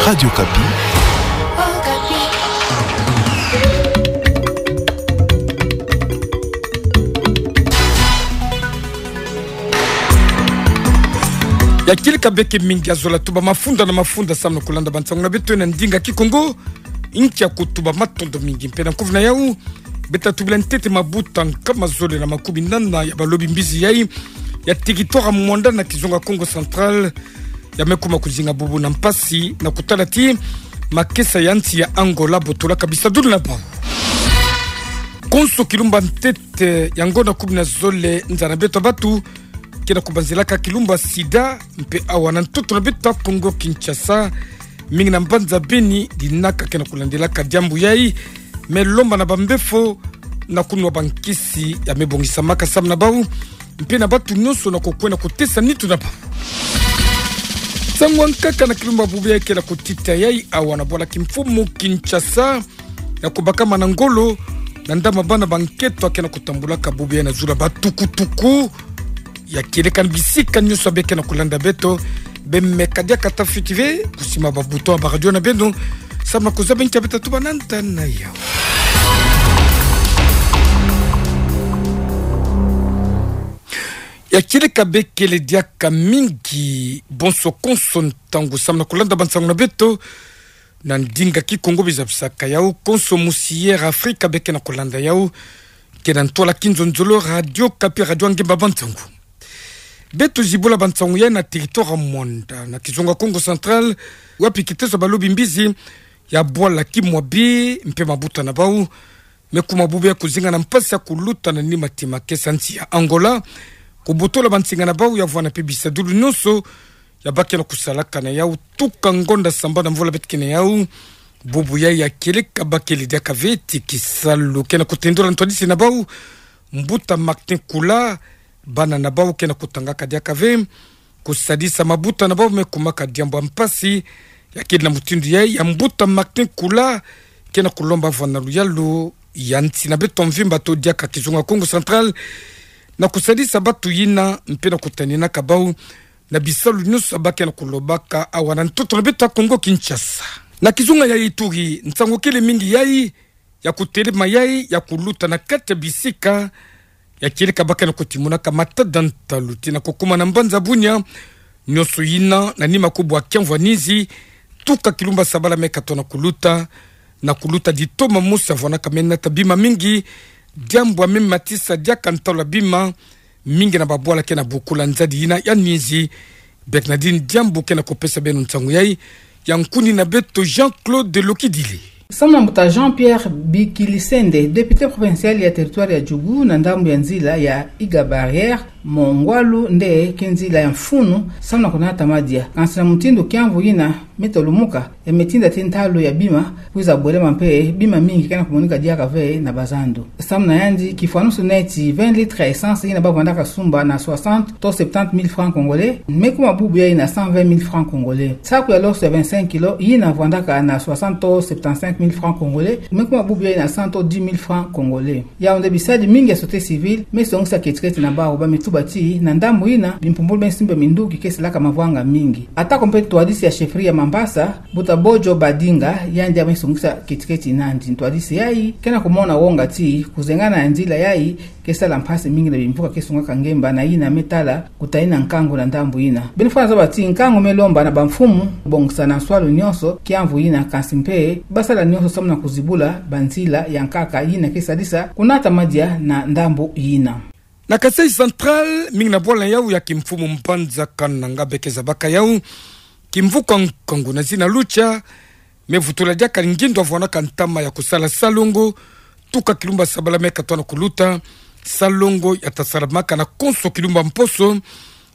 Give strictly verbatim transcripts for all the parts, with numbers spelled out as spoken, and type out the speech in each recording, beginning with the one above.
Radio Okapi. Ya kieleka beke mingi, ya zola tuba mafunda na mafunda samu na kulanda bansangu na beto na ndinga Kikongo. Nkia kutuba, matondo mingi. Mpe na nkufi na yau, beta tubila ntete mabuta nkama zole na makumi nana ya balobi mbizi yai ya territoire Muanda na kizunga Kongo Central ya me kuma kuzinga bubu na mpasi na kutala ti makesa ya nsi ya Angola botolaka bisadulu na bau. Konso kilumba ntete ya ngonda kumi na zole, nza na beto ya batu ke na kubanzilaka kilumba sida, mpe awa na ntoto na beto ya Kongo Kinshasa, mingi na mbanza Beni, dinaka ke na kulandelaka diambu yai. Me lomba na bambefo na kunwa bankisi ya me bongisamaka samu na bau, mpe na batu nyonso na kukwenda kutesa nitu na bau. Nsangu ya nkaka na kilumba bubu yai ke na kutita yai awa na bwala kimfumu Kinshasa, ya kubakama na ngolo na ndambu ya bana ba nketo ya ke na kutambulaka bubu yai na zulu ya batukutuku. Ya kieleka na bisika nyonso ya beke na kulanda beto, bemeka diaka ta fioti ve kusima ba bouton ya ba radio na beno samu na kuzaba nkia beta tuba na nta na yau. Ya kieleka bekele diaka mingi, bonso konso ntangu samu na kulanda bansangu na beto na ndinga Kikongo. Bizabisaka yau konso musi Air Afrika beke na kulanda yau, ke na ntwala kinzonzolo Radio Okapi, radio ya ngemba bansangu. Beto zibula bansangu yai na territoire Muanda na kizunga Kongo Central, wapi kiteso ya balobi mbizi ya bwala Kimwabi mpe mabuta na bau me kuma bubu yai kuzinga na mpasi ya kuluta na nima ti makesa ya nsi ya Angola, kubotola bansinga na bau ya vwanda mpe bisadulu nyonso ya ba ke na kusalaka na yau tuka ngonda samba na mvula beto ke na yau. Bubu yai ya kieleka bakele diaka ve ti kisalu ke na kutendola ntwadisi na bau, mbuta Martin Kula, bana na bau ke na kutangaka diaka ve kusadisa mabuta na bau me kumaka diambu ya mpasi. Ya kele na mutindu yai ya mbuta Martin Kula ke na kulomba vwanda na luyalu ya nsi na beto mvimba to diaka kizunga Kongo Central na kusadisa batu yina mpe na kutaninaka bau na bisalu nyonso ya ba ke na kulobaka awa na ntoto na beto ya Kongo Kinshasa. Na kizunga ya Ituri, nsangu kele mingi yai ya kutelema yai ya kuluta na kati ya bisika ya kieleka ba ke na kutimunaka matada ntalu ti na kukuma na mbanza Bunia. Nyonso yina na nima kubwa kiamvu ya nizi, tuka kilumba sabala me katona kuluta, na kuluta ditoma mosi ya vwandaka me nata bima mingi, diambu ya me matisa diaka ntalu ya bima mingi na babwala ke na bukula nzadi yina ya nizi. Bernardine Diambu ke na kupesa beno nsangu yai ya nkundi na beto Jean-Claude Lokidile. Samu na mbuta Jean-Pierre Bikilisende, député provincial ya territoire ya Djugu na ndambu ya nzila ya Iga Barrière, mo ngwalu nde ke nzila ya mfunu samu na kunata madia. Kansi na mutindu kiamvu yina me tolumuka, ya me tinda ti ntalu ya bima kwiza bwelema mpe bima mingi ke na kumonika diaka ve na bazandu. Samu na yandi, kifwanusu neti vingt litres ya essence yina ba vwandaka sumba na soixante to septante mille francs congolais, me kuma bubu yai na cent vingt mille francs congolais. Saku ya loso ya vingt-cinq kilos yina vwandaka na soixante to septante-cinq mille francs congolais, me kuma bubu yai na cent to dix mille francs congolais. Yau nde bisadi mingi ya société civile me songisa ketiketi na bau, ba me tuba ti na ndambu yina bimpumbulu be nsimbi ya minduki ke salaka mavwanga mingi. Atako mpe ntwadisi ya chefferie ya Mambasa, mbuta Bojo Badinga, yandi ya me songisa ketiketi nandi. Ntwadisi yai ke na kumona wonga ti kuzengana ya nzila yai ke sala mpasi mingi na bimvuka ke sungaka ngemba na yina me tala kutayina nkangu na ndambu yina. Beno fwa na zaba ti nkangu me lomba na bamfumu bongisa na nswalu nyonso kiamvu yina, kansi mpe ba sala nyonso samu na kuzibula banzila ya nkaka yina ke sadisa kunata madia na ndambu yina. Na Kasaï Central, mingi na bwala yau ya kimfumu mbanza Kananga beke zabaka yau kimvuka nkangu na zina Lucha, me vutula diaka ngindu ya vwandaka ntama ya kusala salongo, tuka kilumba sabala me katona kuluta. Salongo ya ta salamaka na konso kilumba mposo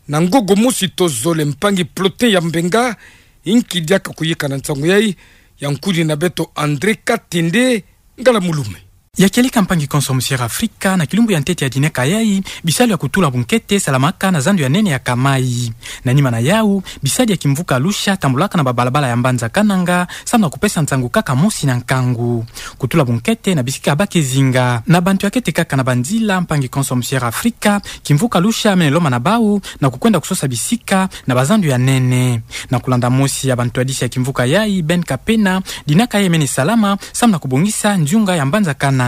na ngogo mosi to zole. Mpangi Plotin ya Mbenga, inki diaka kuyika na nsangu yai ya nkundi na beto André Katende Ngala Mulume. Ya kieleka mpangi konso Musière Afrika, na kilumbu ya ntete ya dinaka yayi, bisalu ya kutula bunkete salamaka na zandu ya nene ya Kamai. Na nima na yau, bisadi ya kimvuka Lucia tambulaka na babalabala ya mbanza Kananga, samu na kupesa nsangu kaka mosi na nkangu. Kutula bunkete na bisika ya bakezinga. Na bantu ya kete kaka na banzila, mpangi konso Musière Afrika, kimvuka Lucia mene lomba na bau, na kukwenda kusosa bisika, na bazandu ya nene. Na kulanda mosi ya bantwadisi ya kimvuka yayi, Ben Kapena, dinaka yayi mene salama, samu na kubongisa nziunga ya mbanza Kananga.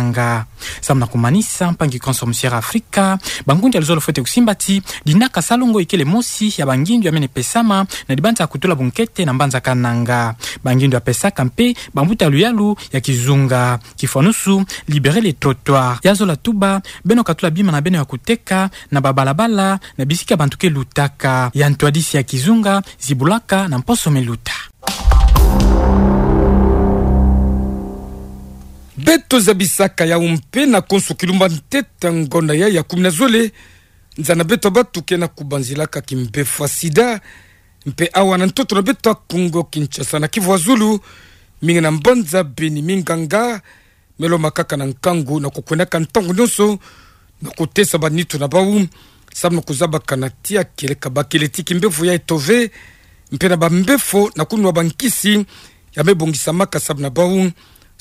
Samu na kumanisa, mpangi konso Musière Afrika, bangundu ya luzolo fwete kusimba ti, dinaka Salongo ikele mosi ya bangindu ya mene pesama, na dibanza kutula bunkete na mbanza Kananga. Bangindu ya pesaka mpe, bambuta luyalu ya kizunga. Kifwanusu, libérer les trottoirs. Ya zola tuba, beno katula bima na beno ya kuteka, na babalabala, na bisika bantu ke lutaka. Ya ntwadisi ya kizunga, zibulaka na mposo me luta. Beto zabisaka yau mpe na konso kilumbu ya ntete ngonda yayi ya kumi na zole, nza na beto bantu ke na kubanzilaka kimbefo ya sida, mpe awa na ntoto na beto ya Kongo Kinshasa na Kivu ya Zulu, mingi na mbanza Beni minganga, me lomba kaka na nkangu na kukwendaka ntangu nyonso, na kutesa banitu na bau, samu na kuzabaka na tia kieleka bakele ti kimbefo ya etove, mpe na bambefo na kunwa bankisi, ya me bongisamaka samu na bau,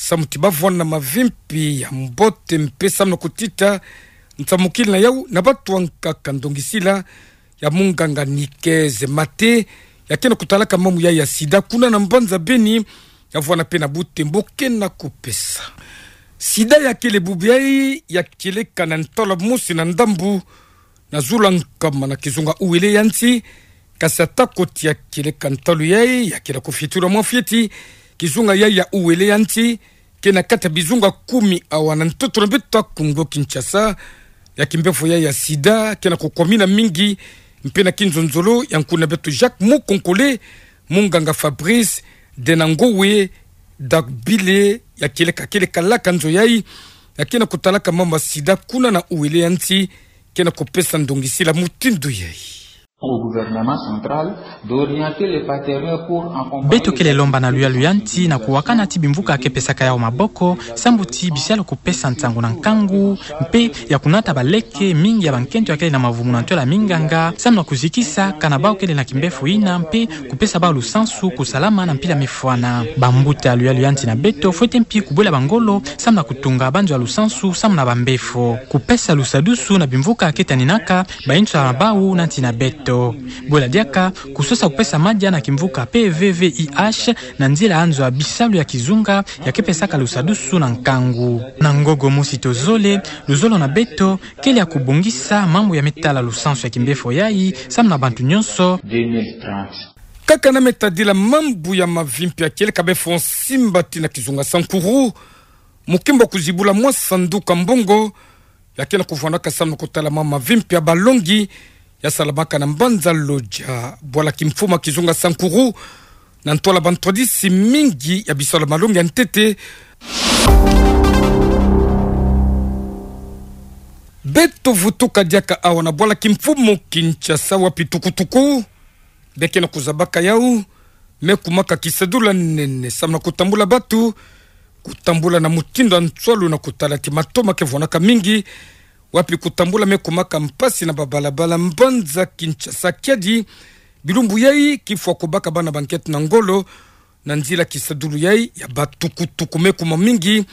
samu ti bavwanda mavimpi ya mbote mpe samu na kutita, nsamukila na yau na bantu ankaka ndongisila, ya munganga Nikeze Mate, ya ke na kutalaka mambu yayi ya sida kuna na mbanza Beni, ya vwanda mpe na Butembo ke na kupesa. Sida ya kele bubu yayi, ya kieleka na ntalu mosi na ndambu, na zulu ya nkama na kizunga Uele ya nsi, kasi ata koti ya kieleka ntalu yayi, ya ke na kufitula mwa fioti, kizunga yayi ya Uele ya nsi, ke na kati ya bizunga kumi awa na ntoto na beto ya Kongo Kinshasa, ya kimbefo yayi ya sida, ke na kukwamina mingi, mpe na kinzonzolo, ya nkuna beto Jacques Mukonkole, munganga Fabrice Denangowe Dagbile, ya kieleka, kieleka laka nzo yayi, ya ke na kutalaka mambu ya sida kuna na Uele ya nsi, ke na kupesa ndongisila mutindu yayi. Au gouvernement central d'orienter les partenaires pour accompagner. Beto kele lomba na luyalu ya nsi na kuwakana ti bimvuka ke pesaka yau maboko, samu ti bisalu kupesa nsangu na nkangu, mpe ya kunata baleke mingi ya bankento ya kele na mavumu na ntola minganga, samu na kuzikisa kana bau kele na kimbefo yina, mpe kupesa bau lusansu, kusalama na mpila mifwana. Bambuta ya luyalu ya nsi na beto, fwete mpi kubwela bangolo, samu na kutunga banzo ya lusansu, samu na bambefo. Kupesa lusadusu na bimvuka ke taninaka, bayinso ya bau na nsi na beto. Bwela diaka, kusosa kupesa madia na kimvuka P V V I H, na nzila ya nzo ya bisalu ya kizunga, ya ke pesaka lusadusu na nkangu. Na ngogo mosi tozole, luzolo na beto, kele ya kubongisa mambu ya me tala lusansu ya kimbefo yayi, samu na bantu nyonso. Deux mille trente. Kaka na me tadila mambu ya mavimpi ya kieleka befo nsimbati na kizunga Sankuru, mukimbo kuzibula mwa sanduku ya mbongo, ya ke na kuvwandaka samu na kutala mwa mavimpi ya balongi, ya salamaka na mbanza Lodja, bwala kimfumu ya kizunga Sankuru, na ntwala bantwadisi mingi ya bisalu ya malongi ya ntete. Beto vutuka diaka awa na bwala kimfumu Kinshasa wapi tukutuku, beke na kuzabaka yau, me kumaka kisadulu ya nene, samu na kutambula bantu, kutambula na mutindu ya nswalu na kutala ti matoma ke vwandaka mingi, wapi kutambula me kumaka mpasi na babalabala mbanza Kinshasa kiadi, bilumbu yayi kifwa kubaka bana bankento na ngolo, na nzila kisadulu yayi ya batukutuku me kuma mingi,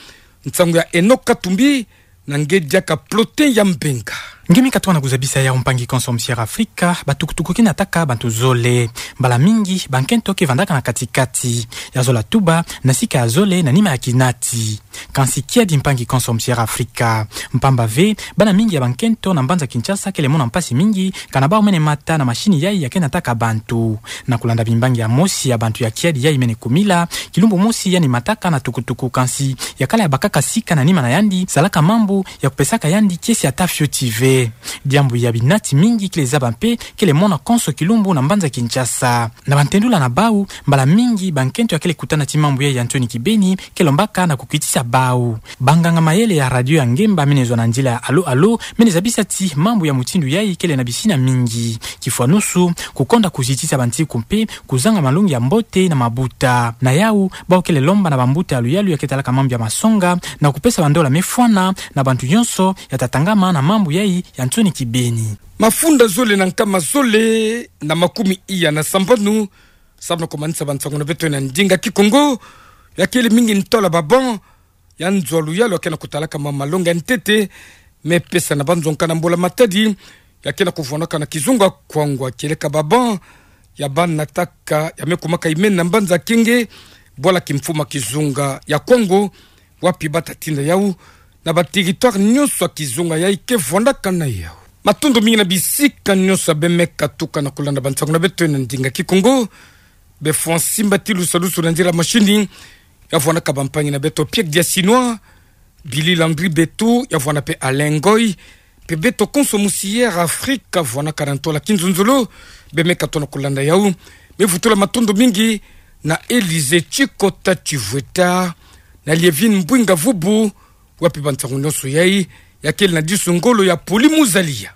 nsangu ya Enoch Katumbi, na nge diaka Plotin ya Mbenga. Nge mi katuka na kuzabisa yau mpangi konso Musière Afrika, batukutuku ke nataka bantu zole. Mbala mingi, bankento ke vandaka na katikati. Ya zola tuba, na sika ya zole, na nima ya kinati. Kansi kiadi mpangi konso Musière Afrika. Mpamba ve, bana mingi ya bankento na mbanza Kinshasa kele mona mpasi mingi, kana bau mene mata na mashini yayi ya ke nataka bantu. Na kulanda bimbangi ya mosi ya bantu ya kiadi yayi mene kumila, kilumbu mosi yandi mataka na tukutuku kansi, ya kala ya bakaka sika na nima na yandi, salaka mambu, ya kupesaka yandi kiese ata fioti ve. Diambu ya binati mingi kele zaba mpe kele mona konso kilumbu na mbanza Kinshasa. Na bantendula na bau, mbala mingi bankento ya kele kutana ti mambu yayi ya nsoni kibeni ke lombaka na kukitisa bau. Banganga mayele ya radio ya ngemba mene zwa na nzila ya Allô Allô mene zabisa ti mambu ya mutindu yayi kele na bisina mingi. Kifwanusu, kukonda kuzitisa bantiku mpe kuzanga malongi ya mbote na mabuta. Na yau, bau kele lomba na bambuta ya luyalu ya ke talaka mambu ya masonga na kupesa bandola mefwana na bantu nyonso ya tatangama na mambu yayi ya nsoni kibeni. Mafunda zole na nkama zole na makumi iya na sambanu, samu na kumanisa bansangu na beto na ndinga Kikongo, ya kele mingi ntola ba banc ya nzo ya luyalu ya ke na kutalaka ma malongi ya ntete, me pesa na banzonka na mbula-matadi, ya ke na kuvwanaka na kizunga Kikongo, kieleka ba banc ya banataka, ya me kumaka imeni na mbanza Kenge, bwala kimfuma kizunga ya Kikongo, wapi bata tinda yau na ba territoire nyonso ya kizunga yayi ke vwandaka na yau. Matondo mingi na bisika nyonso ya be me katuka na kulanda bansangu na beto na ndinga Kikongo. Be fwa nsimba ti lusalusu na nzila mashini, ya vwanaka bampangi na beto Pierre Diasinois, Billy Landry Beto, ya vwana mpe Alain Ngoy, mpe beto konso musi Air Afrique, vwanaka na ntola kinzonzolo, be me katuka na kulanda yau. Me vutula matondo mingi na Élysée Tshikota Tshivweta, na Lievine Mbwinga Vubu, wapi bansangu nyonso yayi ya kele na disu ngolo ya Poli Muzalia.